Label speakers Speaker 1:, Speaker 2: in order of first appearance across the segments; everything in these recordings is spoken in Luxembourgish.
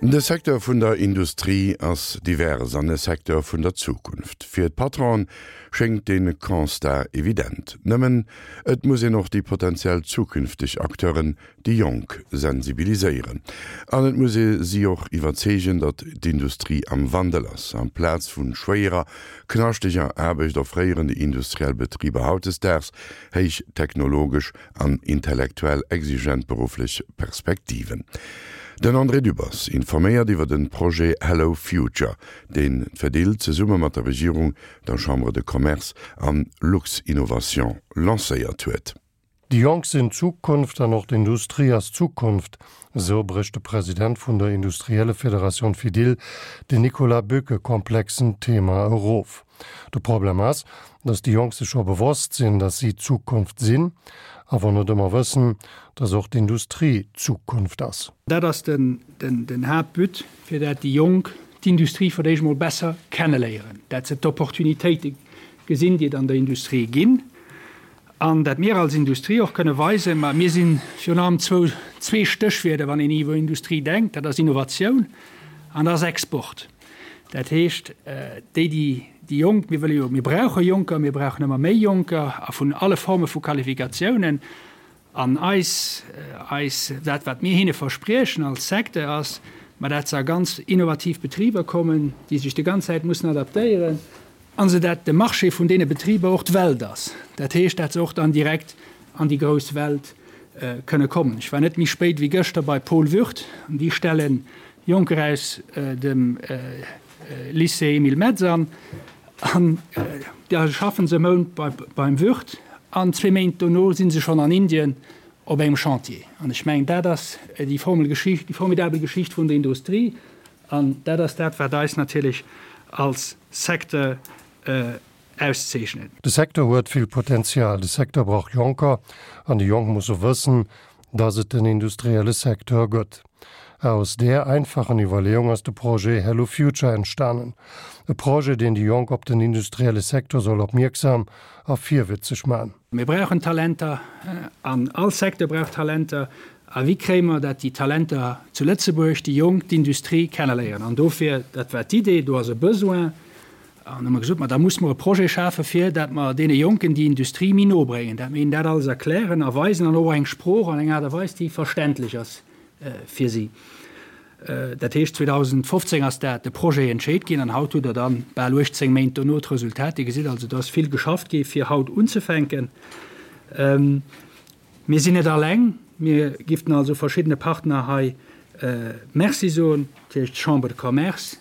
Speaker 1: De Secteur vun der Industrie ass divers an e Secteur vun der Zukunft. Fir d'Patronen schéngt dee Constat evident. Nëmmen, et muss een och déi potentiell zukünfteg Acteuren, déi Jonk, sensibiliséieren. An et muss ee si och iwwerzeegen, datt d'Industrie am Wandel ass. Amplaz vu schwéierer, knaschteger Aarbecht offréieren déi industriell Betriber hautdesdaags héich technologesch an intellektuell exigent berufflech Perspektiven. Den André Dübbers informéiert iwwer den Projet Hello Future, deen d'Fedil zesumme mat der Regierung, der Chambre de Commerce an Luxinnovation lancéiert huet.
Speaker 2: Déi Jonk sinn d'Zukunft an och d'Industrie ass d'Zukunft, esou brécht de President vun der Industriellefederatioun Fedil, den Nicolas Bück, e komplexen Thema erof. De Problem ass, datt déi Jonk sech scho bewosst sinn, datt si d'Zukunft sinn, awer net ëmmer wëssen, datt och d'Industrie d'Zukunft ass.
Speaker 3: Dat ass den Haaptbut, fir dat déi Jonk d'Industrie fir d'éischt mol besser kenneléieren, dat se d'Opportunitéite gesinn, déi et an der Industrie ginn, an dat mir als Industrie och kënne weisen, ma mir si virun allem zwou, zwee Stéchwierder, wann een iwwer Industrie denkt, dat ass Innovatioun an dat ass Export. Dat heescht, déi, déi, déi Jonk, mir wëlle jo, mir brauche Jonker, mir brauchen ëmmer méi Jonker a vun alle Forme vu Qualifikatiounen. An eis, eis, dat wat mir hinne verspriechen als Secteur ass, ma dat se a ganz innovativ Betriber kommen, déi sech déi ganz Zäit mussen adaptéieren, an se dat de Marché vun deene Betriber och d'Welt ass. Dat heescht, dat se och dann direkt an déi grouss Welt kënne kommen. Ech war net méi spéit wéi gëschter bei Paul Würth an déi stelle Jonker aus dem Lycée Emile Metz an, an da schaffen se e Mount beim Würth an zwee Méint dono si se schonn an Indien op engem Chantier. An ech mengen, dat ass déi formidabel Geschicht vun der Industrie an dat ass dat, wat eis natierlech als Secteur auszeechnen.
Speaker 2: De Secteur huet vill Potenzial. De Secteur brauch Jonker an déi Jonk musse wëssen, dass et den industrielle Secteur gëtt. Aus där einfachen Iwwerleeung ass de Projet Hello Future entstanen. E Projet, deen déi Jonk op den industrielle Secteur soll opmierksam a virwitzeg man.
Speaker 3: Mir brauchen Talenter an all Secteur brauch Talenter. A wéi kréie mer dat déi Talenter zu Lëtzebuerg, déi Jonk, d'Industrie kenneléieren? An dofir, dat war d'Idee, do ass e Besoin. An hu mer gesot, ma da muss mer e Projet schafen, fir dat mer deene Jonken déi Industrie méi no bréngen, dat mer hinnen dat alles erklären a weisen an och eng Sprooch an eng Aart a Weis, déi verständlech ass fir si. Dat heescht, 2015 ass dat de Projet entscheet ginn an haut hutt Der dann bal 18 Méint dono d'Resultat. Dir gesitt also, do ass vill geschafft gi fir haut unzefänken. Mir sinn net alleng. Mir giften also verschiddene Partner hei Merci soen, natierlech d'Chambre de Commerce,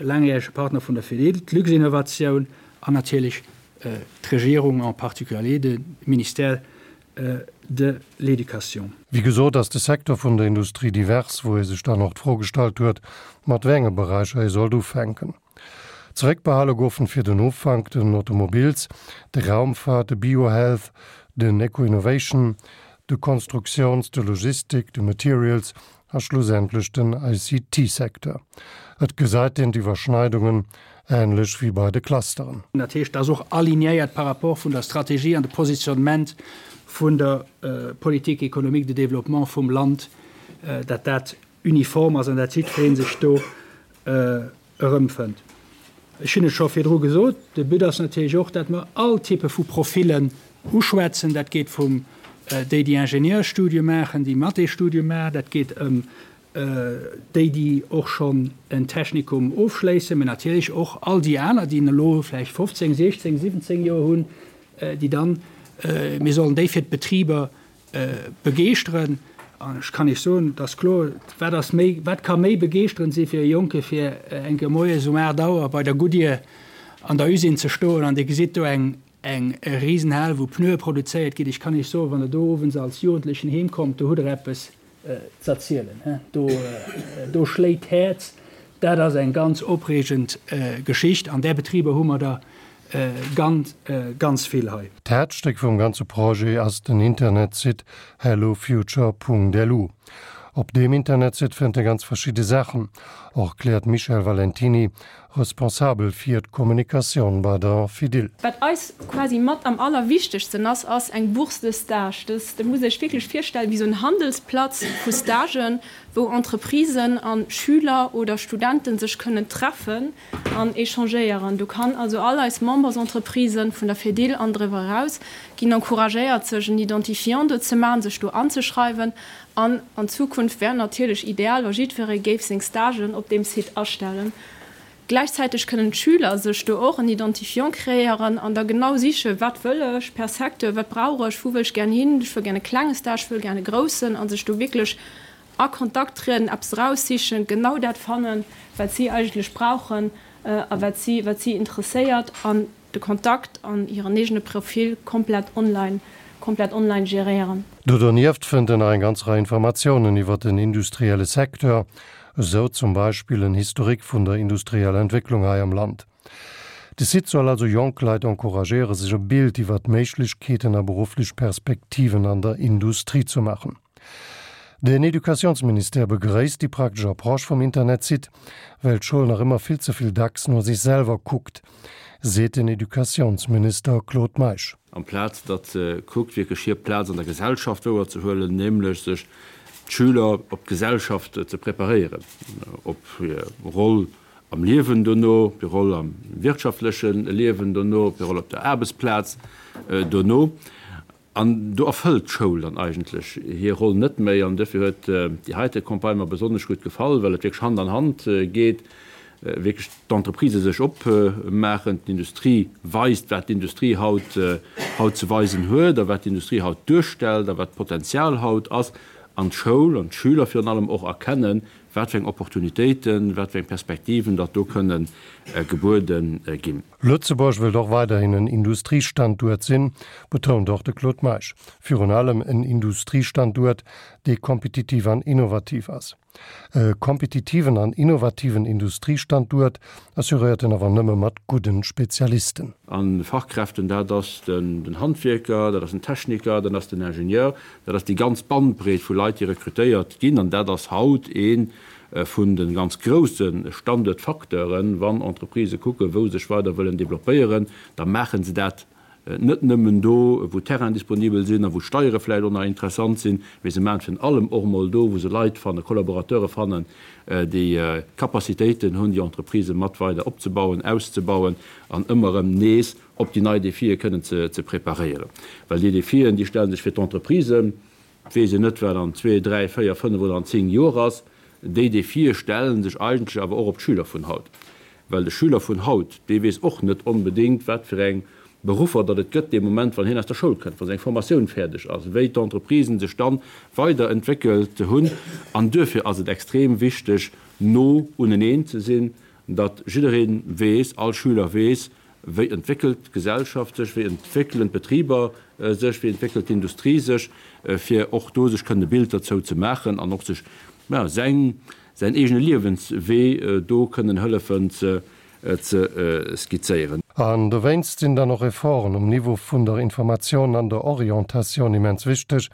Speaker 3: laangjärege Partner vun der Fedil, d'Luxinnovation an natierlech d'Regierung, en particulier de Ministère de l'Éducation.
Speaker 2: Wéi gesot ass de Secteur vun der Industrie divers, wou ee sech dann och d'Fro gestallt huet, mat wéi enge Beräicher ee sollt ufänken. Zeréckbehale goufen fir den Ufank den Automobils, de Raumfahrt, de Biohealth, den Eco-Innovation, de Konstruktiouns-, de Logistik, de Materials a schlussendlech den ICT-Secteur. Et gesäit een d'Iwwerschneidungen, änlech wéi bei de Clusteren.
Speaker 3: Dat heescht, dat ass och alignéiert par rapport vun der Strategie an de Positionnement vun der Politique économique de développement vum Land, dat dat uniform ass an dat jiddweree sech do erëmfënnt. Ech hunn et scho virdru gesot, de But ass natierlech och, dat mer all Typpe vu Profillen uschwätzen. Dat geet vum déi, déi Ingenieursstudium maachen, déi Mathésstudium maachen, dat geet ëm déi, déi och schonn en Technikum ofschléissen, mä natierlech och all déi aner, déi elo vläicht 15, 16, 17 Joer hunn, déi dann, mir sollen déi fir d'Betriber Begeeschteren, an ech kann Iech soen, et ass kloer, wat ass méi, wat ka méi begeeschterend si fir e Jonke fir eng Kéier moies um 8 Auer bei der Goodyear an der Usine ze stoen an dir gesitt do eng eng Risenhal wou Pneue produzéiert ginn. Ech kann Iech soen, wann Der do owends als Jugendlechen heem kommt, do hutt Der eppes z'erzielen, do do schléit d'Häerz. Dat ass eng ganz opreegend Geschicht an där Betriber hu mer der Ganz, ganz vill hei.
Speaker 2: D'Häerzstéck vum ganze Projet ass den Internetsite hellofuture.lu. Op deem Internetsite fënnt ee ganz verschidde Saachen, erkläert d'Michèle Valentiny, Responsabel fir d'Kommunikatioun bei der Fedil.
Speaker 4: Wat eis quasi mat am allerwichtegsten ass, ass eng Bourse de stage. Dës, dat muss ee sech wierklech virstellen, wéi esou en Handelsplatz vu Stagen, wou Entreprisen a Schüler oder Studenten sech kënnen treffen an échangéieren. Do kann also all eis Membersentreprisen vun der Fedil an driwwer eraus ginn encouragéiert, sech en Identifiant do ze maachen, sech do anzeschreiwen. An an Zukunft wär natierlech ideal, wa jiddweree géif seng Stagen op deem Site astellen. Gläichzäiteg kënnen d'Schüler sech do och en Identifiant kreéieren an da genau sichen, wat wëll ech per Secteur, wat brauch ech, wou wëll ech gären hin, ech wëll gären e klenge Stage, ech wëll gären e groussen, a sech do wierklech a Kontakt trieden, eppes eraussichen, genau dat fannen, wat si eigentlech brauchen a wat si, wat si interesséiert an de Kontakt an hiren eegene Profil komplett online, komplett online geréieren.
Speaker 2: Do donieft fënnt en nach eng ganz Rei Informatiounen iwwer den industrielle Secteur, Esou zum Beispill en Historique vun der industrieller Entwécklung hei am Land. De Site soll also jonk Leit encouragéiere sech e Bild iwwer d'Méiglechkeeten a berufflech Perspektiven an der Industrie zu maachen. Den Educatiounsministère begréisst déi praktesch Approche vum Internetsite, well d'Schoul nach ëmmer vill ze vill dacks no sech selwer kuckt, seet den Educatiounsminister Claude Meisch.
Speaker 5: Amplaz datt se kuckt wierklech hir Plaz an der Gesellschaft wouerzehuelen, nämlech sech d'Schüler op d'Gesellschaft ze preparéieren, op hir Roll am Liewen dono, op hir Roll am wirtschaftleche Liewen dono, op hir Roll op der Aarbechtsplaz dono. An do erfëllt d'Schoul dann eigentlech hir Roll net méi. An duerfir huet déi heite Campagne mer besonnesch gutt gefall, well et wierklech Hand an Hand geet, wierklech d'Entreprisë sech opmaachen, d'Industrie weist, wat d'Industrie haut haut ze weisen huet a wat d'Industrie haut duerstellt a wat d'Potenzial haut ass, an d'Schoul an d'Schüler virun allem och erkennen, wat fir eng Opportunitéiten, wat fir eng Perspektiven datt do kënne gebuede ginn.
Speaker 2: Lëtzebuerg wëllt och weiderhin en Industriestanduert sinn, betount och de Claude Meisch. Virun allem en Industriestanduert, dee kompetitiv an innovativ ass. E kompetitiven an innovativen Industriestanduert assuréiert en awer nëmme mat gudden Spezialisten.
Speaker 5: A Fachkräften, dat ass den Handwierker, dat ass den Techniker, dat ass den Ingenieur, dat ass déi ganz Bandbreet vu Leit, déi rekrutéiert ginn. An dat ass haut ee vun de ganz grousse Standuertfacteuren. Wann Entreprisë kucken, wou se sech weider wëllen developpéieren, da maache se dat net nëmmen do, wou Terrainen disponibel sinn a wou d'Steiere vläicht och nach interessant sinn, mee se maachen et virun allem och emol do, wou se Leit fannen, Collaborateure fannen, déi Capacitéiten hunn, déi Entreprisë mat weider opzebauen, auszebauen an ëmmer erëm nees op déi nei Defie kënnen ze preparéieren. Well déi Defien, déi stelle sech fir d'Entreprisen, Et weess een net, wat an zwee, dräi, véier, fënnef oder an zéng Joer ass. Déi Defie stelle sech eigentlech awer och op d'Schüler vun haut. Well de Schüler vun haut, dee weess och net onbedéngt, wat fir eng Beruffer datt et gëtt dee Moment, wann hien aus der Schoul kënnt, wa seng Formatioun fäerdeg ass, wéi d'Entreprisen sech dann weiderentwéckelt hunn. An duerfir ass et extrem wichteg, no uneneen ze sinn, datt jidderee weess, all Schüler weess, Wéi entwéckelt d'Gesellschaft sech, wéi entwéckelen d'Betriber sech, wéi entwéckelt d'Industrie sech, fir och do sech kënnen e Bild derzou ze maachen an och sech, ja, säin, säin eegene Liewenswee do kënnen hëllefen ze, ze skizzéieren.
Speaker 2: An dowéinst sinn dann och Efforten um Niveau vun der Informatioun an der Orientatioun immens wichteg,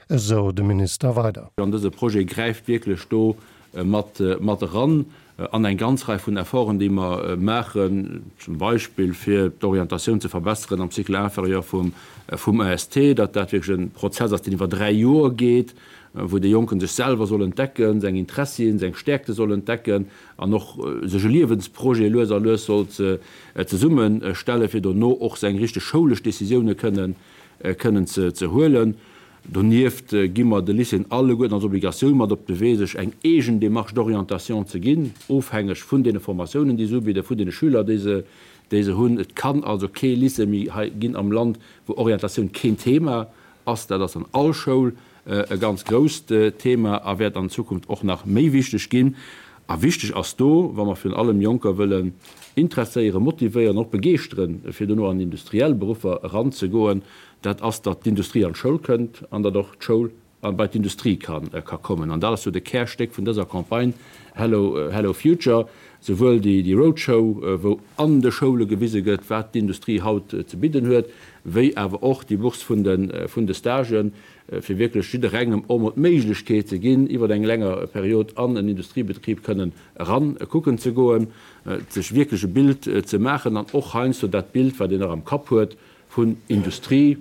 Speaker 2: esou de Minister weider.
Speaker 5: An dëse Projet gräift wierklech do mat, mat eran an eng ganz Rei vun Efforten, déi mer maachen, zum Beispill fir d'Orientatioun ze verbesseren am Cycle inférieur vum, vum EST, datt dat wierklech e Prozess ass, deen iwwer 3 Joer geet, wou de Jonke sech selwer soll entdecken, seng Interessien, seng Stäerkte soll entdecken an och sech e Liewensprojet lues a lues soll zesummestellen, fir dono och seng richteg schoulesch Décisioune kënnen, kënnen ze, ze huelen. Donieft gi mer de Lycéeën alleguerten als Obligatioun mat op de Wee, sech eng eegen Démarche d'orientation ze ginn, ofhängeg vun deene Formatiounen, déi se ubidden, vun deene Schüler, déi se, déi se hunn. Et kann also kee Lycée méi hei ginn am Land, wou Orientatioun keen Thema ass. Dat ass an all Schoul e ganz grousst Thema a wäert an Zukunft och nach méi wichteg ginn. A wichteg ass do, wa mer virun allem Jonker wëllen interesséieren, motivéieren, och begeeschteren, fir dono an industriell Beruffer eranzegoen, dat ass, datt d'Industrie an d'Schoul kënnt an datt och d'Schoul bei d'Industrie ka kommen. An dat ass jo de Kärstéck vun dëser Campagne Hello, Hello Future, souwuel déi Roadshow, wou an de Schoule gewise gëtt, wat d'Industrie haut ze bidden huet, wéi awer och déi Bourse vun de Stagen. fir wierklech jidderengem och emol d'Méiglechkeet ze ginn, iwwer eng länger Period an en Industriebetrib kënnen eran kucken ze goen, sech wierklech e Bild ze maachen an och heiansdo dat Bild, wat een nach am Kapp huet vun Industrie,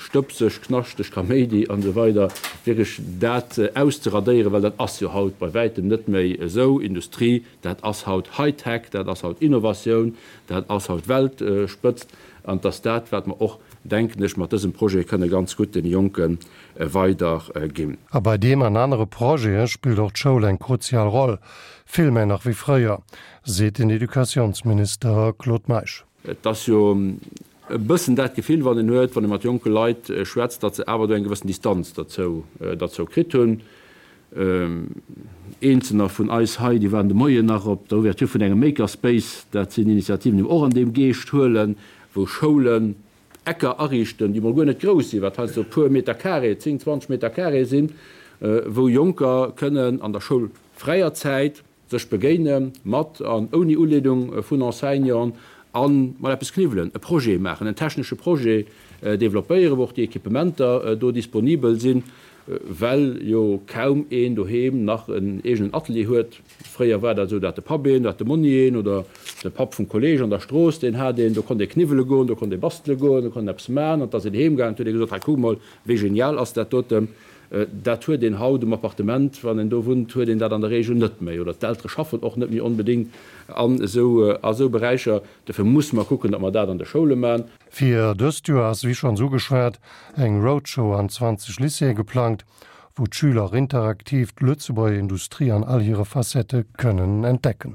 Speaker 5: stëbseg, knaschteg, Kaméidi an esou weider, wierklech dat auszeradéieren, well dat ass jo haut bei wäitem net méi esou. Industrie, dat ass haut Hightech, dat ass haut Innovatioun, dat ass haut Weltspëtzt. An et ass dat, wat mer och, denken ech, mat dësem Projet kënne ganz gutt deene Jonke weiderginn.
Speaker 2: A bei deem an anere Projete spillt och d'Schoul eng kruzial Roll, vill méi nach wéi fréier, seet den Educatiounsminister Claude Meisch.
Speaker 5: Et ass jo e bëssen dat Gefill, wat een huet, wann ee mat jonke Leit schwätzt, datt se awer do eng gewëssen Distanz derzou, derzou kritt hunn. Eenzelner vun eis hei, déi waren de Moien nach op der Ouverture vun engem Makerspace. Dat sinn Initiativen, déi mer och an deem Geescht huelen, wou Schoulen Ecker ariichten, déi mol guer net grouss sinn, wat heiansdo e puer Meter carré, 10, 20 Meter carré sinn, wou Jonker kënnen an der schoulfräier Zäit sech begéine mat an ouni Uleedung vun Enseignanten a mol eppes kniwwelen, e Projet maachen, en technesche Projet developpéieren, wou och déi Equipementer do disponibel sinn, well jo kaum een doheem nach en eegenen Atelier huet. Fréier war dat esou, dat de Papp een, dat de Monni een oder de Papp vum Kolleeg an der Strooss, deen hat een, do konnt ee kniwwele goen, do konnt ee bastele goen, do konnt een eppes maachen an da ass een heem gaangen, huet ee gesot, hei kuck mol, wéi genial ass dat doten. Dat huet een haut um Appartement, wann een do wunnt, huet een dat an der Regel net méi. Oder d'Eltere schaffen och net méi onbedéngt an esou a esou Beräicher. Dofir musse mer kucken, datt mer dat an de Schoule maachen.
Speaker 2: Fir dëst Joer ass, wéi schonns ugeschwat, eng Roadshow an 20 Lycéeë geplangt, wou d'Schüler interaktiv d'Lëtzebuerger Industrie an all hire Facettë kënnen entdecken.